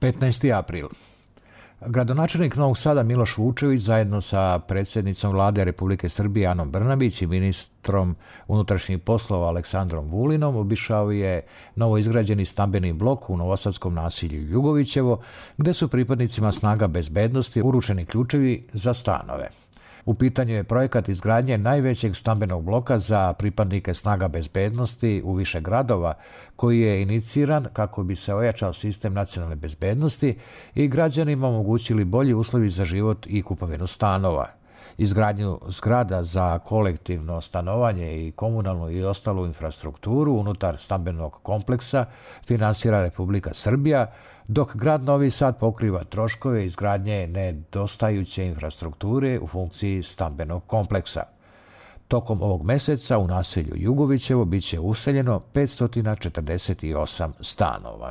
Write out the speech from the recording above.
15. april. Gradonačelnik Novog Sada Miloš Vučević zajedno sa predsjednicom Vlade Republike Srbije Anom Brnabić i ministrom unutrašnjih poslova Aleksandrom Vulinom obišao je novoizgrađeni stambeni blok u novosadskom naselju Jugovićevo, gde su pripadnicima snaga bezbednosti uručeni ključevi za stanove. U pitanju je projekat izgradnje najvećeg stambenog bloka za pripadnike snaga bezbednosti u više gradova, koji je iniciran kako bi se ojačao sistem nacionalne bezbednosti i građanima omogućili bolji uslovi za život i kupovinu stanova. Izgradnju zgrada za kolektivno stanovanje i komunalnu i ostalu infrastrukturu unutar stambenog kompleksa finansira Republika Srbija, dok grad Novi Sad pokriva troškove izgradnje nedostajuće infrastrukture u funkciji stambenog kompleksa. Tokom ovog meseca u naselju Jugovićevo biće useljeno 548 stanova.